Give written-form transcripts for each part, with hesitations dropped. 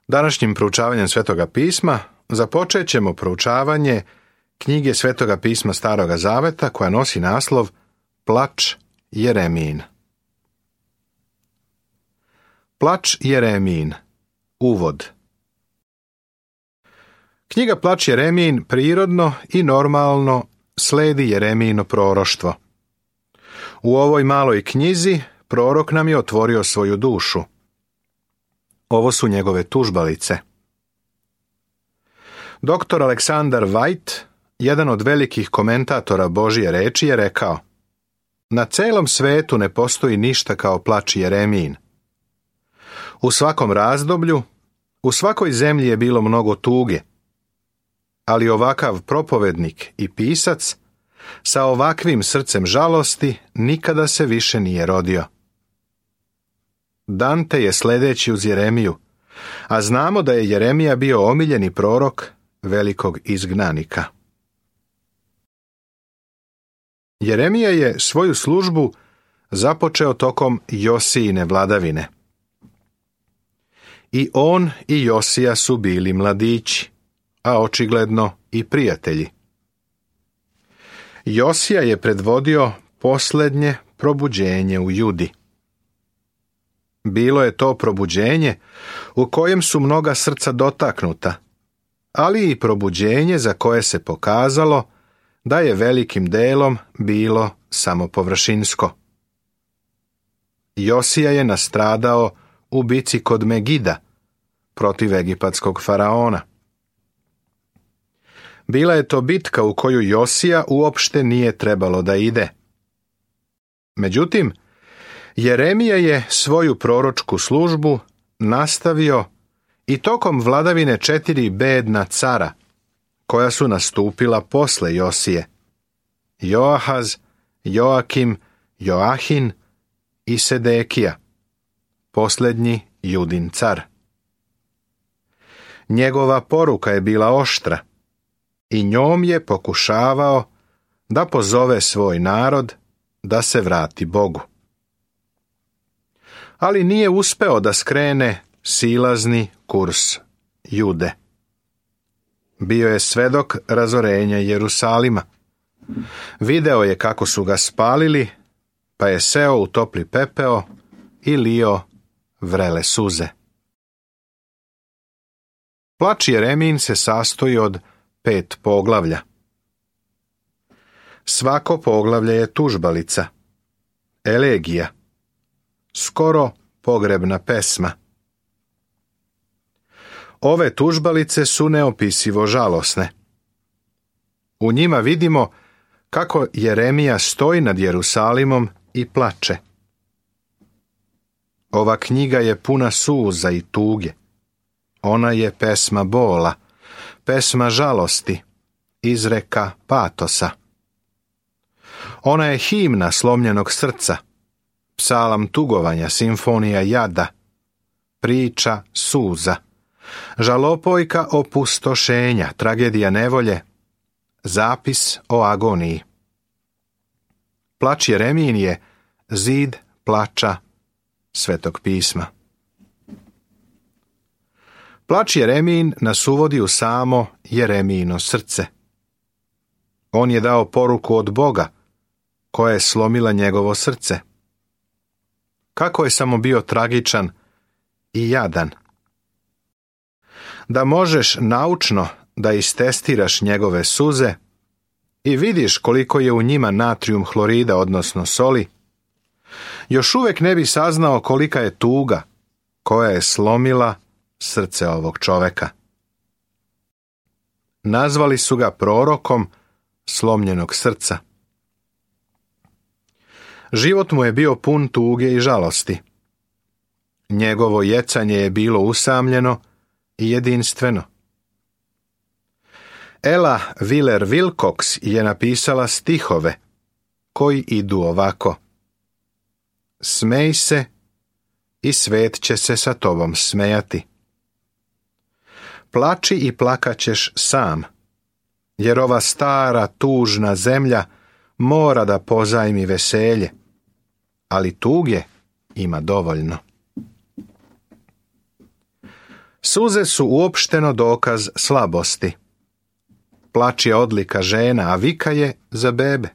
Današnjim proučavanjem Svetoga pisma započet ćemo proučavanje knjige Svetoga pisma Staroga zaveta koja nosi naslov Plač Jeremijin. Plač Jeremijin. Uvod. Knjiga Plač Jeremijin prirodno i normalno sledi Jeremijino proroštvo. U ovoj maloj knjizi prorok nam je otvorio svoju dušu. Ovo su njegove tužbalice. Dr. Aleksandar White, jedan od velikih komentatora Božje reči, je rekao: na celom svetu ne postoji ništa kao plač Jeremijin. U svakom razdoblju, u svakoj zemlji je bilo mnogo tuge, ali ovakav propovednik i pisac sa ovakvim srcem žalosti nikada se više nije rodio. Dante je sledeći uz Jeremiju, a znamo da je Jeremija bio omiljeni prorok velikog izgnanika. Jeremija je svoju službu započeo tokom Josijine vladavine. I on i Josija su bili mladići, a očigledno i prijatelji. Josija je predvodio posljednje probuđenje u Judi. Bilo je to probuđenje u kojem su mnoga srca dotaknuta, ali i probuđenje za koje se pokazalo da je velikim delom bilo samo površinsko. Josija je nastradao u bici kod Megida protiv egipatskog faraona. Bila je to bitka u koju Josija uopšte nije trebalo da ide. Međutim, Jeremija je svoju proročku službu nastavio i tokom vladavine 4 bedna cara, koja su nastupila posle Josije: Joahaz, Joakim, Joahin i Sedekija, posljednji Judin car. Njegova poruka je bila oštra i njom je pokušavao da pozove svoj narod da se vrati Bogu. Ali nije uspeo da skrene silazni kurs Jude. Bio je svedok razorenja Jerusalima. Video je kako su ga spalili, pa je seo u topli pepeo i lio vrele suze. Plač Jeremijin se sastoji od 5 poglavlja. Svako poglavlje je tužbalica, elegija, skoro pogrebna pesma. Ove tužbalice su neopisivo žalosne. U njima vidimo kako Jeremija stoji nad Jerusalimom i plače. Ova knjiga je puna suza i tuge. Ona je pesma bola, pesma žalosti, izreka patosa. Ona je himna slomljenog srca, psalam tugovanja, simfonija jada, priča suza, žalopojka opustošenja, tragedija nevolje, zapis o agoniji. Plač Jeremijin je zid plača Svetog pisma. Plač Jeremijin nas uvodi u samo Jeremijino srce. On je dao poruku od Boga, koja je slomila njegovo srce. Kako je samo bio tragičan i jadan. Da možeš naučno da istestiraš njegove suze i vidiš koliko je u njima natrijum hlorida, odnosno soli, još uvijek ne bi saznao kolika je tuga koja je slomila srce ovog čoveka. Nazvali su ga prorokom slomljenog srca. Život mu je bio pun tuge i žalosti. Njegovo jecanje je bilo usamljeno i jedinstveno. Ella Wheeler Wilcox je napisala stihove koji idu ovako: smej se i svet će se sa tobom smejati. Plači i plakaćeš sam, jer ova stara tužna zemlja mora da pozajmi veselje, ali tuge ima dovoljno. Suze su uopšteno dokaz slabosti. Plač je odlika žena, a vika je za bebe.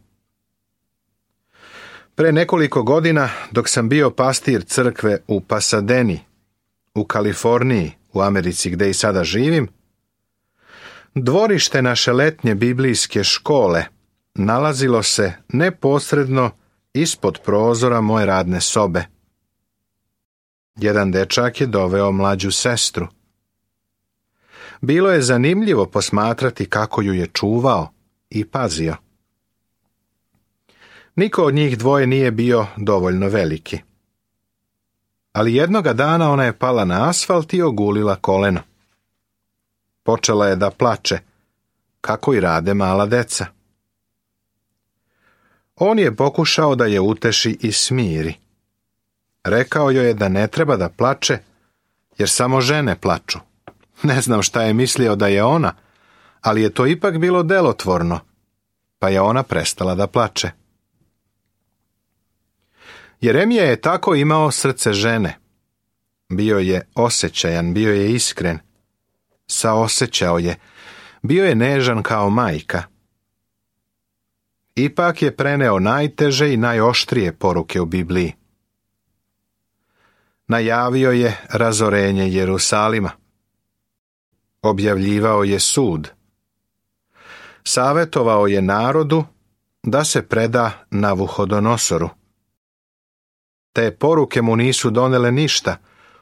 Pre nekoliko godina, dok sam bio pastir crkve u Pasadeni, u Kaliforniji, u Americi gdje i sada živim, dvorište naše letnje biblijske škole nalazilo se neposredno ispod prozora moje radne sobe. Jedan dečak je doveo mlađu sestru. Bilo je zanimljivo posmatrati kako ju je čuvao i pazio. Niko od njih dvoje nije bio dovoljno veliki. Ali jednoga dana ona je pala na asfalt i ogulila koleno. Počela je da plače, kako i rade mala deca. On je pokušao da je uteši i smiri. Rekao joj je da ne treba da plače, jer samo žene plaču. Ne znam šta je mislio da je ona, ali je to ipak bilo delotvorno, pa je ona prestala da plače. Jeremija je tako imao srce žene. Bio je osjećajan, bio je iskren. Saosećao je, bio je nežan kao majka. Ipak je preneo najteže i najoštrije poruke u Bibliji. Najavio je razorenje Jerusalima. Objavljivao je sud. Savetovao je narodu da se preda Navuhodonosoru. Te poruke mu nisu donele ništa,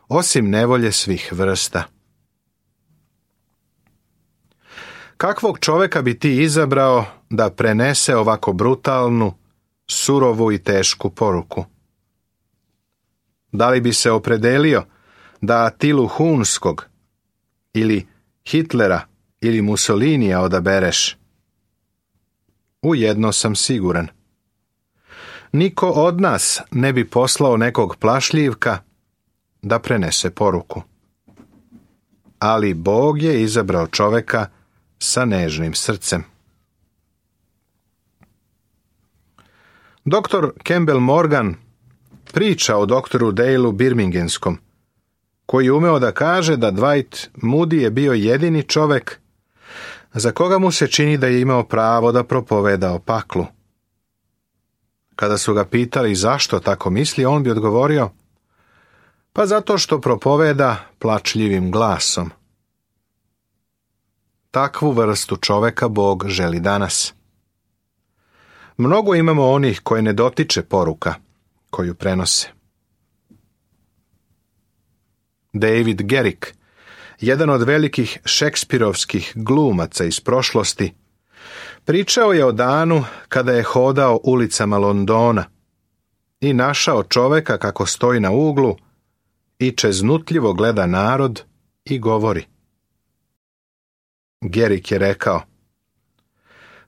osim nevolje svih vrsta. Kakvog čoveka bi ti izabrao da prenese ovako brutalnu, surovu i tešku poruku? Da li bi se opredelio da Atilu Hunskog ili Hitlera ili Mussolinija odabereš? U jedno sam siguran. Niko od nas ne bi poslao nekog plašljivka da prenese poruku. Ali Bog je izabrao čoveka sa nežnim srcem. Doktor Campbell Morgan priča o doktoru Daleu Birmingemskom, koji je umeo da kaže da Dwight Moody je bio jedini čovek za koga mu se čini da je imao pravo da propoveda o paklu. Kada su ga pitali zašto tako misli, on bi odgovorio: pa zato što propoveda plačljivim glasom. Takvu vrstu čoveka Bog želi danas. Mnogo imamo onih koje ne dotiče poruka koju prenose. David Garrick, jedan od velikih šekspirovskih glumaca iz prošlosti, pričao je o danu kada je hodao ulicama Londona i našao čoveka kako stoji na uglu i čeznutljivo gleda narod i govori. Garrick je rekao: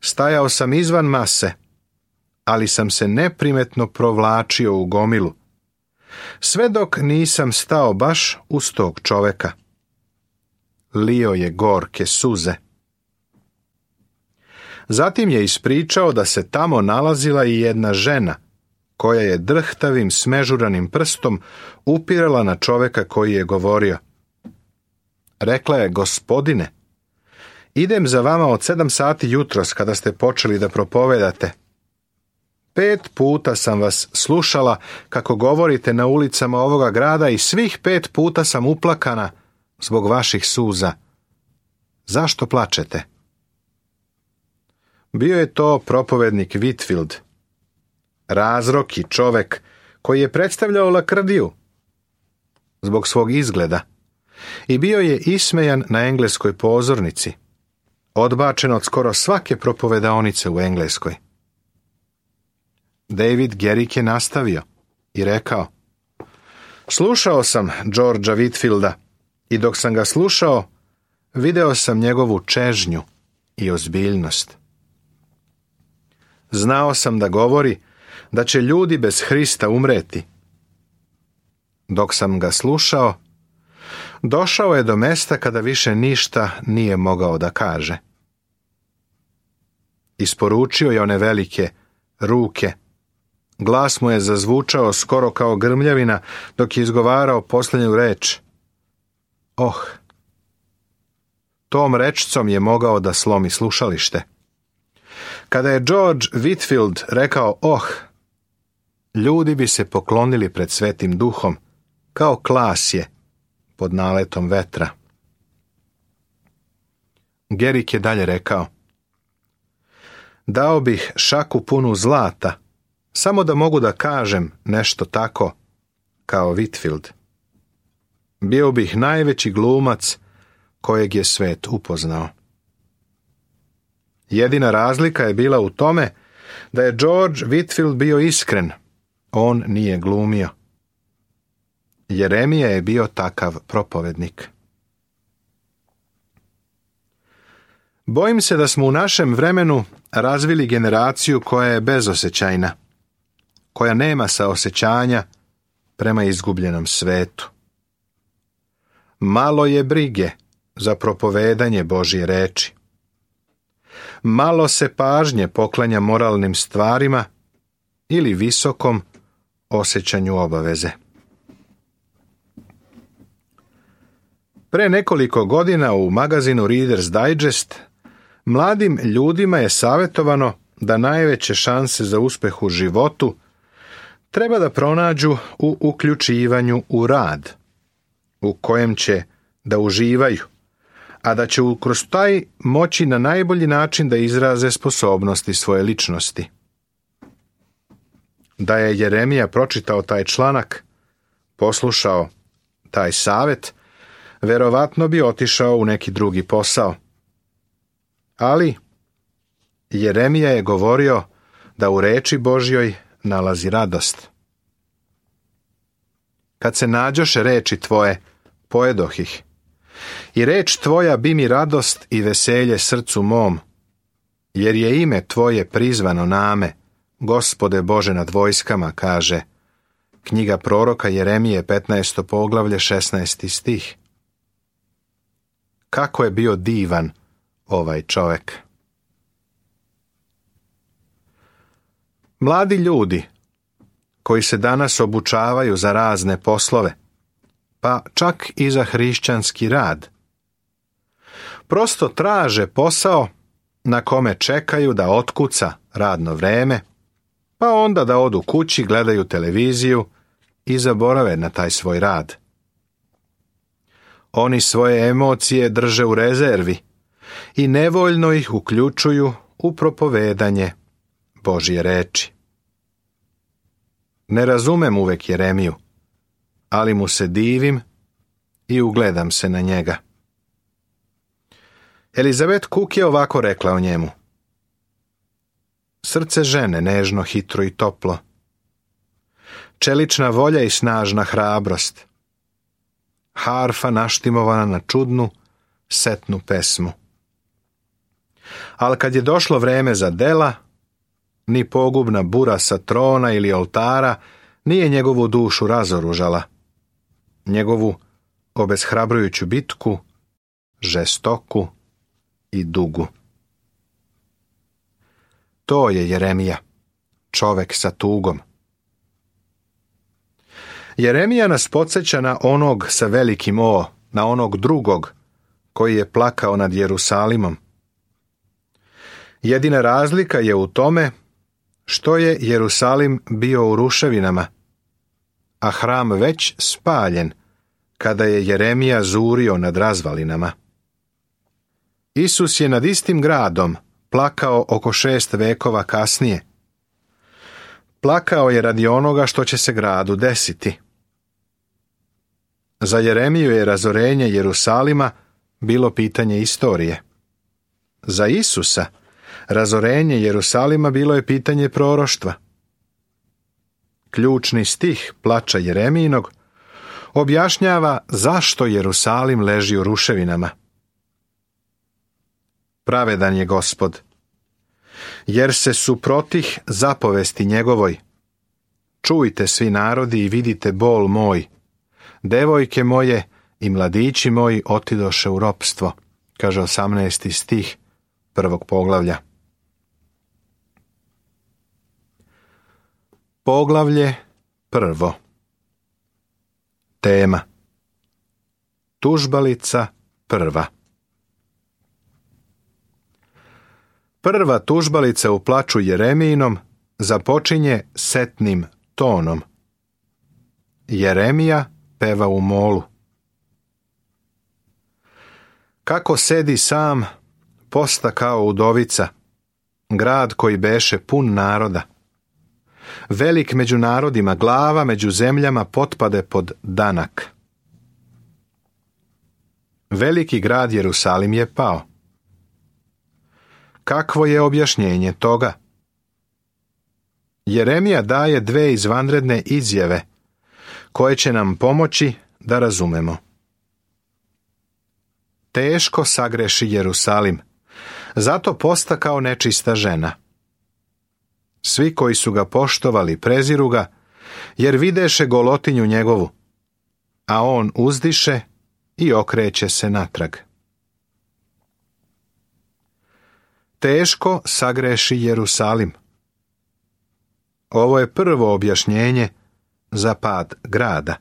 stajao sam izvan mase, ali sam se neprimetno provlačio u gomilu, sve dok nisam stao baš uz tog čoveka. Lio je gorke suze. Zatim je ispričao da se tamo nalazila i jedna žena, koja je drhtavim smežuranim prstom upirala na čoveka koji je govorio. Rekla je: gospodine, idem za vama od 7 sati jutros kada ste počeli da propovedate. 5 puta sam vas slušala kako govorite na ulicama ovoga grada i svih 5 puta sam uplakana zbog vaših suza. Zašto plačete? Bio je to propovednik Whitfield, razroki čovek koji je predstavljao lakrdiju zbog svog izgleda i bio je ismejan na engleskoj pozornici, odbačen od skoro svake propovedaonice u Engleskoj. David Garrick je nastavio i rekao: slušao sam Georgea Whitfielda i dok sam ga slušao, video sam njegovu čežnju i ozbiljnost. Znao sam da govori da će ljudi bez Hrista umreti. Dok sam ga slušao, došao je do mesta kada više ništa nije mogao da kaže. Isporučio je one velike ruke. Glas mu je zazvučao skoro kao grmljavina dok je izgovarao posljednju reč. Oh, tom rečcom je mogao da slomi slušalište. Kada je George Whitefield rekao ljudi bi se poklonili pred Svetim Duhom, kao klasje pod naletom vetra. Gerik je dalje rekao: dao bih šaku punu zlata, samo da mogu da kažem nešto tako kao Whitefield. Bio bih najveći glumac kojeg je svet upoznao. Jedina razlika je bila u tome da je George Whitefield bio iskren, on nije glumio. Jeremija je bio takav propovednik. Bojim se da smo u našem vremenu razvili generaciju koja je bezosećajna, koja nema saosećanja prema izgubljenom svetu. Malo je brige za propovedanje Božje reči. Malo se pažnje poklanja moralnim stvarima ili visokom osjećanju obaveze. Pre nekoliko godina u magazinu Reader's Digest mladim ljudima je savjetovano da najveće šanse za uspeh u životu treba da pronađu u uključivanju u rad, u kojem će da uživaju, a da će kroz taj moći na najbolji način da izraze sposobnosti svoje ličnosti. Da je Jeremija pročitao taj članak, poslušao taj savjet, verovatno bi otišao u neki drugi posao. Ali Jeremija je govorio da u reči Božjoj nalazi radost. Kad se nađoše reči tvoje, pojedoh ih. I reč tvoja bi mi radost i veselje srcu mom, jer je ime tvoje prizvano name, Gospode Bože nad vojskama, kaže knjiga proroka Jeremije 15. poglavlje 16. stih. Kako je bio divan ovaj čovjek. Mladi ljudi koji se danas obučavaju za razne poslove, pa čak i za hrišćanski rad, prosto traže posao na kome čekaju da otkuca radno vreme, pa onda da odu kući, gledaju televiziju i zaborave na taj svoj rad. Oni svoje emocije drže u rezervi i nevoljno ih uključuju u propovedanje Božje reči. Ne razumem uvek Jeremiju, ali mu se divim i ugledam se na njega. Elizabeth Cook je ovako rekla o njemu: srce žene nežno, hitro i toplo, čelična volja i snažna hrabrost, harfa naštimovana na čudnu, setnu pesmu. Ali kad je došlo vreme za dela, ni pogubna bura sa trona ili oltara nije njegovu dušu razoružala. Njegovu obeshrabrujuću bitku, žestoku i dugu. To je Jeremija, čovek sa tugom. Jeremija nas podsjeća na onog sa velikim O, na onog drugog koji je plakao nad Jerusalimom. Jedina razlika je u tome što je Jerusalim bio u ruševinama, a hram već spaljen kada je Jeremija zurio nad razvalinama. Isus je nad istim gradom plakao oko 6 vekova kasnije. Plakao je radi onoga što će se gradu desiti. Za Jeremiju je razorenje Jerusalima bilo pitanje istorije. Za Isusa razorenje Jerusalima bilo je pitanje proroštva. Ključni stih plača Jeremijinog objašnjava zašto Jerusalim leži u ruševinama. Pravedan je Gospod, jer se suprotih zapovesti njegovoj. Čujte svi narodi i vidite bol moj. Devojke moje i mladići moji otidoše u ropstvo, kaže 18. stih 1. poglavlja. Poglavlje 1. Tema: tužbalica 1. Prva tužbalica u plaču Jeremijinom započinje setnim tonom. Jeremija peva u molu. Kako sedi sam, posta kao udovica, grad koji beše pun naroda. Velik među narodima, glava među zemljama potpade pod danak. Veliki grad Jerusalim je pao. Kakvo je objašnjenje toga? Jeremija daje dve izvanredne izjave koje će nam pomoći da razumemo. Teško sagreši Jerusalim, zato posta kao nečista žena. Svi koji su ga poštovali preziru ga, jer videše golotinju njegovu, a on uzdiše i okreće se natrag. Teško sagreši Jerusalim. Ovo je prvo objašnjenje za pad grada.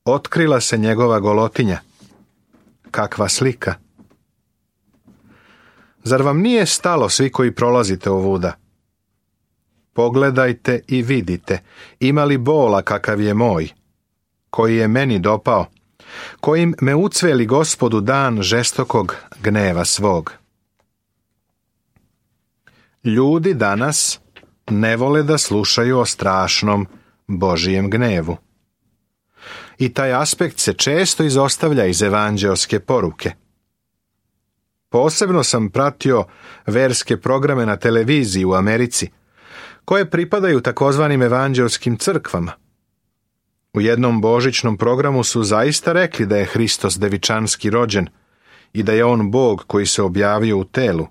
Otkrila se njegova golotinja. Kakva slika! Zar vam nije stalo, svi koji prolazite ovuda? Pogledajte i vidite, ima li bola kakav je moj, koji je meni dopao, kojim me ucveli Gospodu dan žestokog gneva svog. Ljudi danas ne vole da slušaju o strašnom Božijem gnevu. I taj aspekt se često izostavlja iz evanđeoske poruke. Posebno sam pratio verske programe na televiziji u Americi, koje pripadaju takozvanim evanđeoskim crkvama. U jednom božićnom programu su zaista rekli da je Hristos devičanski rođen i da je on Bog koji se objavio u telu.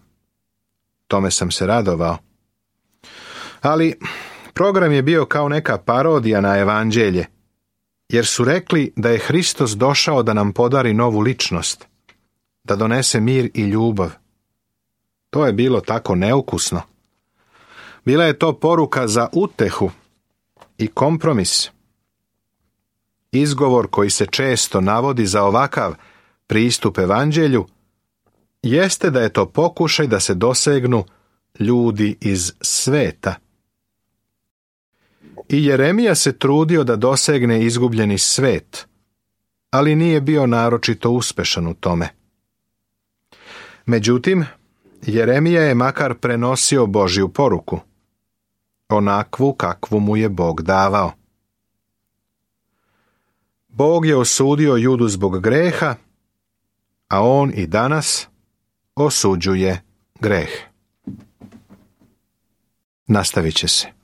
Tome sam se radovao. Ali program je bio kao neka parodija na evanđelje, jer su rekli da je Hristos došao da nam podari novu ličnost, da donese mir i ljubav. To je bilo tako neukusno. Bila je to poruka za utehu i kompromis. Izgovor koji se često navodi za ovakav pristup evanđelju jeste da je to pokušaj da se dosegnu ljudi iz sveta. I Jeremija se trudio da dosegne izgubljeni svet, ali nije bio naročito uspešan u tome. Međutim, Jeremija je makar prenosio Božju poruku, onakvu kakvu mu je Bog davao. Bog je osudio Judu zbog greha, a on i danas osuđuje greh. Nastavit će se.